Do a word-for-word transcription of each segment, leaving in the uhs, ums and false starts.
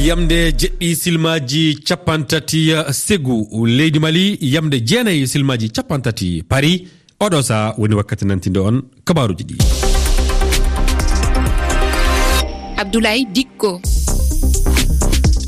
Yamde jeɗɗi silmaaji cappanɗe tati segu leydi Mali, yamde jeenayi silmaaji cappanɗe tati Paris. Oɗo saha woni wakkati nantinde on kabaaruji ɗi. Abdoulaye Dikko.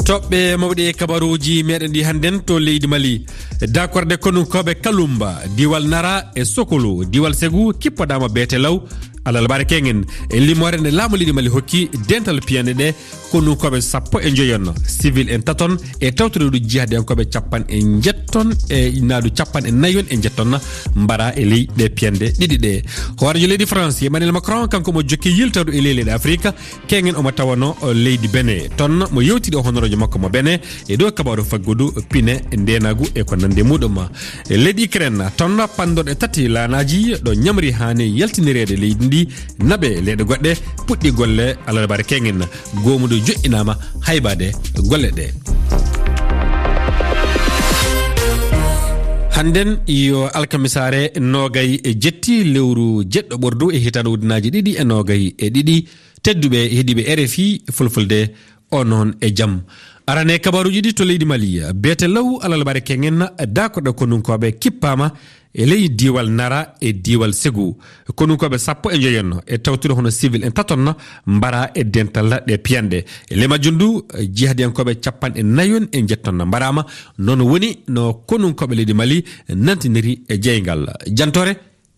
Toɓɓe mawɗe e kabaaruji meɗen ɗi hannden to leydi Mali. Dakorde konunkooɓe Kalumba, diwal Nara e Sokolo, diwal Segu kippodaama beete law. Alalbare kengen e limoore nde laamu leydi Mali hokki dental piyanɗe ɗe, konunkooɓe sappo e njoyon, civil en taton e tawtoreeɗo jihadiyankooɓe capan e njetton e naadu capan e nayon e njetton mbara e ley ɗe piyanɗe ɗiɗi ɗe. Hooreejo leydi France Emmanuel Macron, kanko mo jokki yiltadu e ley leyɗe Afrique, kengen omo tawano leydi Benin. Ton mo yewtidi e honoroojo makko mo Benin e dow kabaaru faggudu pine ndenagu e ko nandi e muɗum. E leydi Ukraine, ton panɗon e tati laanaaji ɗo ñamri haani yaltinireede leydi ndi, naɓe leyɗe goɗɗe puɗɗi golle alarbaare kengen. Goomuɗo joƴƴinaama haybaade golle ɗe. Hannden yo alkamisaare noogay e jetti lewru jeɗɗo ɓordu e hitaande ujunaaji ɗiɗi e noogay e ɗiɗi. Tedduɓe heɗiiɓe R F I Fulfulde, o noon e jam. Arane kabaruuji ɗi to leydi Mali, beete law alalbare kengen, dakoɗo konunkooɓe kippaama e ley diiwal Nara e diiwal Segu. Konunkooɓe sappo e njoyon e tawtude hono civil en taton mbara e dental ɗe piyanɗe. E ley majjum du, jihadiyankooɓe capanɗe nayon e njetton mbaraama. Noon woni no konunkooɓe leydi Mali nantiniri e jeyngal. Jantore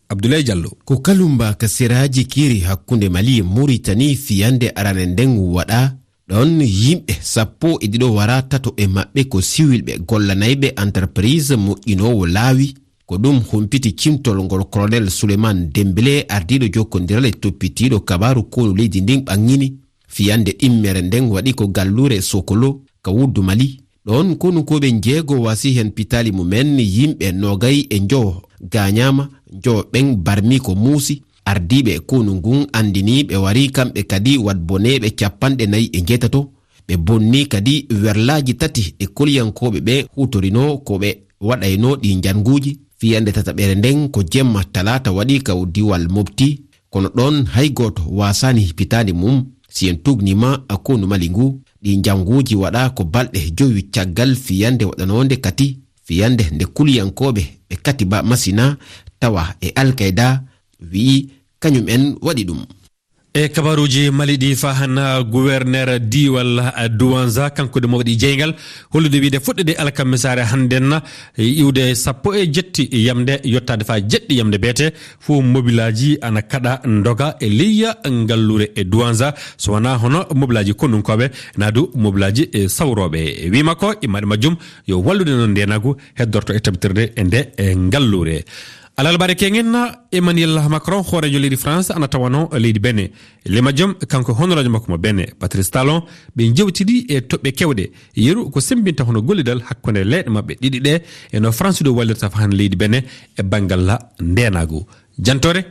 Abdoulaye Diallo. Ko Kalumba ka seraaji keeri hakkunde Mali e Muritani fiyande arane nden waɗa. Ɗon yimɓe sappo e ɗiɗo wara, tato e maɓɓe ko siwilɓe gollanayɓe entreprise moƴƴinoowo laawi. Ko ɗum humpiti cimtol ngol Colonel Souleymane Dembélé, ardiiɗo jokkondiral e toppitiiɗo kabaaru konu leydi ndin ɓanngini. Fiyande ɗimmere nden waɗi ko galluure Sokolo ka wuddu Mali. Ɗon konunkooɓe njeego wasi hen pitaali mumen, yimɓe noogay e njowo gaañaama, njowo ɓen barmi ko muusi. Ardiiɓe konu ngun anndini ɓe wari kamɓe kadi wat boneeɓe capanɗe nayi e njeetato. Ɓe bonni kadi werlaaji tati ɗe koliyankooɓe ɓe huutorinoo ko ɓe waɗaynoo ɗi njannguuji. Fiyande tataɓere nden ko jemma talaata waɗi ka diwal Mopti. Kono ɗon hay gooto waasaani hipitaade mum. Si en tuugniima konu Mali ngu, ɗi njannguuji waɗa ko balɗe jowi caggal fiyande waɗanoonde kati, fiyande nde kuliyankooɓe ɓe Katiba Masina tawa e Al Qaeda wi'i kañum en waɗi ɗum. E kabaruuji Mali ɗi, fahan guwerneer diiwal Douenza, kanko de mo waɗi jeyngal, hollude wiide fuɗɗude alkamisaare hannden, iwde sappo e jetti yamde, yottaade faa jeɗɗi yamde beete, fof mobilaaji ana kaɗa ndoga e leyya ngalluure e Douenza, so wonaa hono mobilaaji konunkooɓe, naa du mobilaaji, e, sawrooɓe. Wi makko, immaaɗe majjum, yo wallude noon ndeenagu heddorto e tabitirde e nde, e, ngalluure. Alalbare kengen, Emmanuel Macron, hooreejo leydi France, ana tawano leydi Benin. Ley majjum, kanko e honoraajo makko mo Benin, Patrice Talon, ɓe njewtidi e toɓɓe kewɗe. Yeru ko semmbinta hono gollidal hakkunde leyɗe maɓɓe ɗiɗi ɗe, e no France ɗo wallirta fahan leydi Benin e banngal ndeenaagu. Jantore,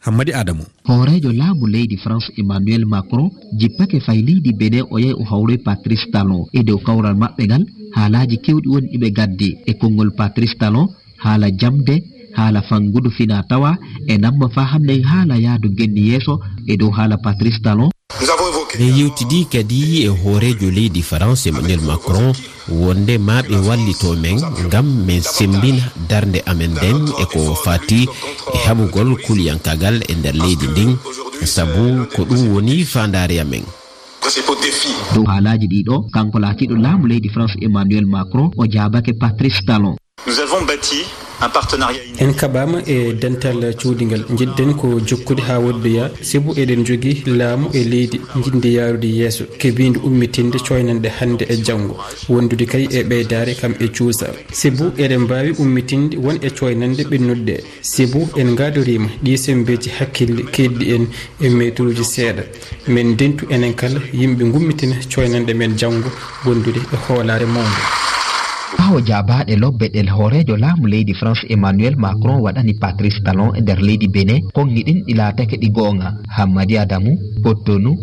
Hammadi Adamu. Hooreejo laamu leydi France Emmanuel Macron jippake fay leydi Benin, o yahi o hawroyi Patrice Talon. E dow kawral maɓɓe ngal, haalaaji kewɗi woni ɗi ɓe ngaddi. E konngol Patrice Talon, haala jamde, haala fanngudu fina tawa, e namma faa hannde haala yaadu ngenni yeeso. E dow haala Patrice Talon, Min yewtidi kadi e hooreejo leydi France Emmanuel Macron wonde maa ɓe wallito men ngam men semmbina darnde amen nden e ko fati e haɓugol kuliyankaagal e nder leydi ndin, sabu ko ɗum woni faandaare amen. Dow haalaaji ɗii ɗoo, kanko laatiiɗo laamu leydi France Emmanuel Macron o jaabake Patrice Talon. Nous avons bâti un partenariat inédit. En kaɓaama e dental cuuɗingal. Njiɗɗen ko jokkude haa woɗɗoya, sibu eɗen njogii laamu e leydi njiɗndi yaarude yeeso, kebiindi ummitinde cooynanɗe hannde e janngo, wondude kay e ɓeydaare kam e cuusa. Sibu eɗen mbaawi ummitinde won e cooynanɗe ɓennuɗe ɗe. Sibu en ngaadoriima ɗii semmbeeji hakkille keedɗi en e meeturuuji seeɗa. Men ndentu enen kala yimɓe ngummitina cooynanɗe men janngo wondude e hoolaare mawnde. Ɓaawo jaabaade lobbe ɗe hooreejo laamu leydi France Emmanuel Macron waɗani Patrice Talon e nder leydi Benin, konngi ɗin ɗi laatake ɗi goonga. Hammadi Adamu, Cotonou,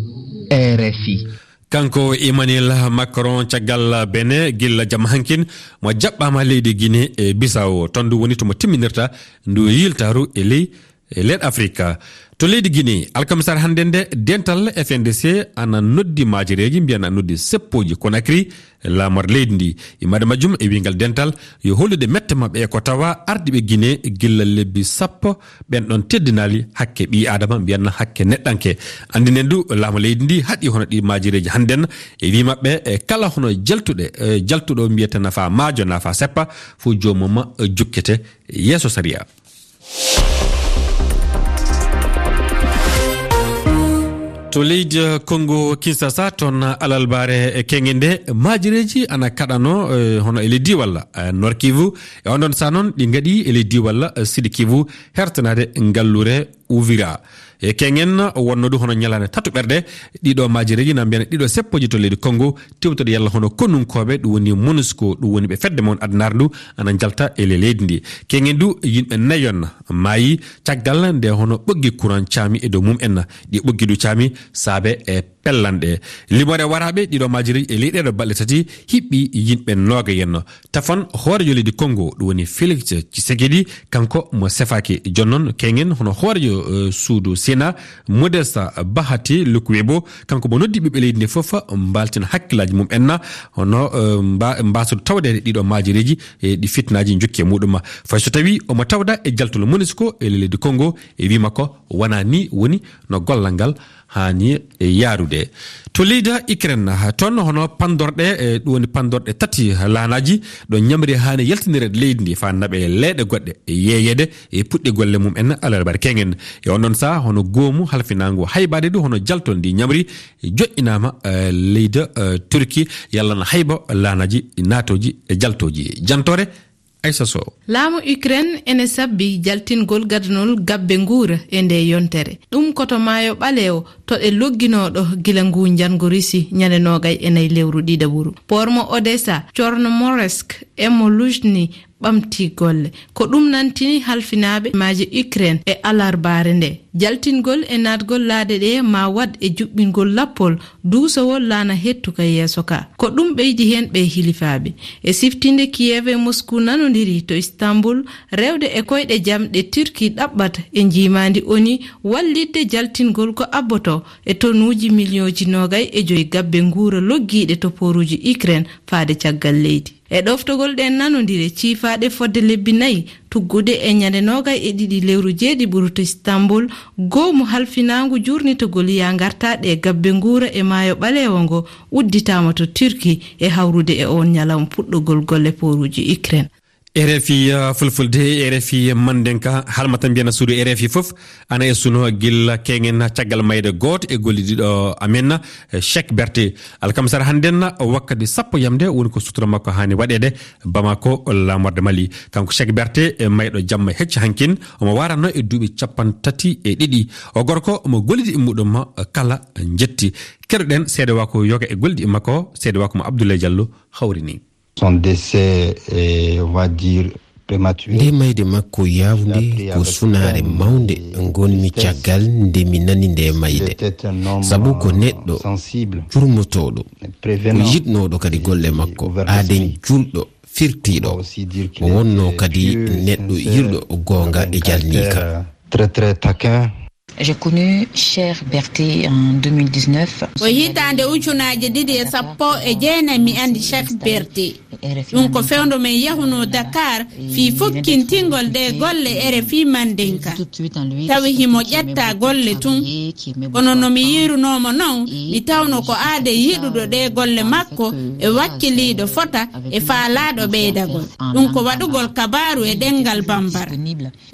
R F I. Kanko Emmanuel Macron caggal Benin gilla jamma hankin mo jaɓɓaama leydi Guinée e Bissau. Ton du woni to mo timminirta ndu yiltaaru e ley e leyɗe Afrika. To leydi Guinée, alkamisaare hannde nde, dental F N D C ana noddi maajereeji, mbiyan ana noddi seppooji Conakry, laamorde leydi ndi. Immorde majjum e wiyngal dental yo hollude mette maɓɓe e ko tawa ardiiɓe Guinée gilla lebbi sappo, ɓen ɗon teddinaali hakke ɓii Aadama, mbiyan hakke neɗɗanke. Anndinen du, laamu leydi ndi haɗi hono ɗi maajereeji hannden e wii maɓɓe, e kala hono jaltuɗe, e jaltuɗo mbiyata nafa maajo, nafa seppa, fof joomum jukkete yeeso sariya. To leydi Congo Kinshasa, toon alarbaare keŋŋe nde, maajereeji ana kaɗano, eh, hono e leydi walla, eh, Nord Kivu. E on ɗon saa noon, ɗi ngaɗi e leydi walla, eh, Sud Kivu, hertanaade ngalluure Uvira. E keŋŋen wonnoo du hono ñalaande tatuɓerde, ɗiɗo maajereeji, na mbiyan ɗiɗo seppooji to leydi Congo, tewtude yalla hono konunkooɓe, ɗum woni MONUSCO, ɗum woni ɓe fedde mon addunaare ndu, ana njalta e le-, leydi ndi. Keŋŋen du, yimɓe nayon maayi caggal nde hono ɓoggi kuran caami e dow mum en. Ɗi ɓoggi du caami saabe e pellanɗe. Limoore waraaɓe ɗiɗo maajereeji e ley ɗeeɗo balɗe tati hiɓɓi yimɓe noogayen. Tafon hooreejo leydi Congo, ɗum woni Félix Tshisekedi, kanko mo sefaaki. Jooni noon, keŋŋen hono hooreejo, eh, suudu Sénat, Modesta Bahati Lukwebo, kanko mo noddi ɓiɓɓe leydi ndi fof, mbaaltina hakkillaaji mum en, hono, eh, mba-, mbaasodo tawde ɗiɗo maajereeji, e ɗi fitnaaji njokki e muɗum. Fay so tawi omo tawda e jaltol MONUSCO e leydi Congo, e wii makko wonaa ni woni no gollal ngal haani yaarude. To leydi Ukraine, toon hono panndorɗe, e ɗum woni panndorɗe tati laanaaji, ɗo ñamri haani yaltinireede leydi ndi faa naɓe leyɗe goɗɗe yeeyeede e puɗɗi golle mum en alarbaare keŋŋen. E on ɗon saa, hono goomu halfinaangu haybaade du, hono jaltol ndi ñamri joƴƴinaama, eh, leydi, eh, Turki, yalla na hayba laanaaji naatooji e jaltooji. Jantoore Aissa Sow. Laamu Ukraine ene sabbi jaltingol gadanol gabbe nguura e nde yontere. Ɗum ko to Maayo Ɓaleewo, to ɗe logginooɗo gila nguu njanngo Risi ñande noogay e nayi lewru ɗiɗaɓuru. Poor mo Odessa, Chornomorsk, e mo Luzhny ɓamti golle. Ko ɗum nantini halfinaaɓe maaje Ukraine e alarbaare nde. Jaltingol e naatgol laaɗe ɗe ma waɗ e juɓɓingol lappol duusowol laana hettuka yeeso ka. Ko ɗum ɓeydi heen ɓe hilifaaɓe. E siftinde Kiev e Moscou nanondiri to Istanbul, rewde e koyɗe jam ɗe Turki ɗaɓɓata e njiimaandi ONU wallitde jaltingol ko abboto e tonuuji miliyooji noogay e joy gabbe nguura loggiiɗe to pooruuji Ukraine faade caggal leydi. E ɗoftogol ɗen nanondire ciifaaɗe fodde lebbi nayi, tuggude e ñande noogay e ɗiɗi lewru jeeɗiɓuru to Istanbul, goomu halfinaangu jurnitogol yaa ngartaaɗe e gabbe nguura e Maayo Ɓaleewo ngo udditaama to Turki e hawrude e on ñalawma puɗɗogol golle pooruuji Ukraine. R F I, uh, Fulfulde, R F I Mandenka, halmata mbiyana suudu R F I fof, ana e suno gilla keŋŋen caggal mayde gooto e gollidiiɗo amen, eh, Cheikh Berté. Alkamisa hannden, wakkati sappo yamde, woni ko sutura makko haani waɗeede Bamako, laamorde Mali. Kanko Cheikh Berté, e mayɗo jamma hecci hankin, omo waaranno e duuɓi cappanɗe tati e ɗiɗi. O gorko, omo gollidi e muɗum kala njetti. Keɗoɗen seedewaako yoga e gollidi makko, seedewaako mo Abdoulaye Diallo hawrini. Son décès, eh, on va dire, prématuré. Nde mayde makko yaawnde ko sunaare mawnde ngonmi caggal nde mi nani nde mayde. Sabu ko neɗɗo jurmotooɗo, ko yiɗnooɗo kadi golle makko, aaden juulɗo, firtiiɗo. O wonnoo kadi neɗɗo yiɗɗo goonga e jalniika. Très, très taquin. J'ai connu Cheikh Berté en deux mille dix-neuf. Ko hitaande ujunaaji ɗiɗi e sappo e jeenayi mi anndi Cheikh Berté. Ɗum ko fewndo men yahunoo Dakar fii fokkintingol ɗee golle R F I Mandinka. Tawi himo ƴetta golle tun. Kono no mi yiirunoo mo non, mi tawno ko aaden yiɗuɗo ɗee golle makko e wakkiliiɗo fota e faalaaɗo ɓeydagol. Ɗum ko waɗugol kabaaru e ɗemngal Bambara.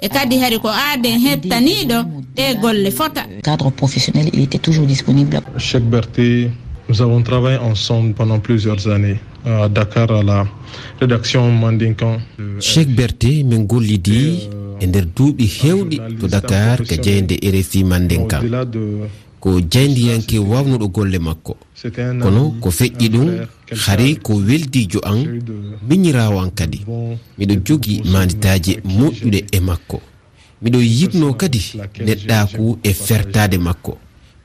E kadi hari ko aaden hettaniiɗo ɗee golle fota. Cadre professionnel, il était toujours disponible. Cheikh Berté, nous avons travaillé ensemble pendant plusieurs années à Dakar à la rédaction Mandinkan. Cheikh Berté, min gollidi e nder duuɓi heewɗi to Dakar ka jaaynde R F I Mandinka. Ko jayndiyanke waawnuɗo golle makko. Kono ko feƴƴi ɗum, hari ko weldiijo an, miñiraawo an kadi. Miɗo jogii maanditaaje moƴƴuɗe e makko. Miɗo yiɗnoo kadi neɗɗaaku e fertaade makko.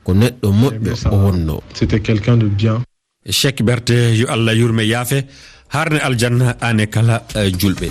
Ko neɗɗo moƴƴo o wonnoo. C'était quelqu'un de bien. Cheikh Berté, yo Allah yurme yaafe, haarne aljanna aan e kala, eh, julɓe.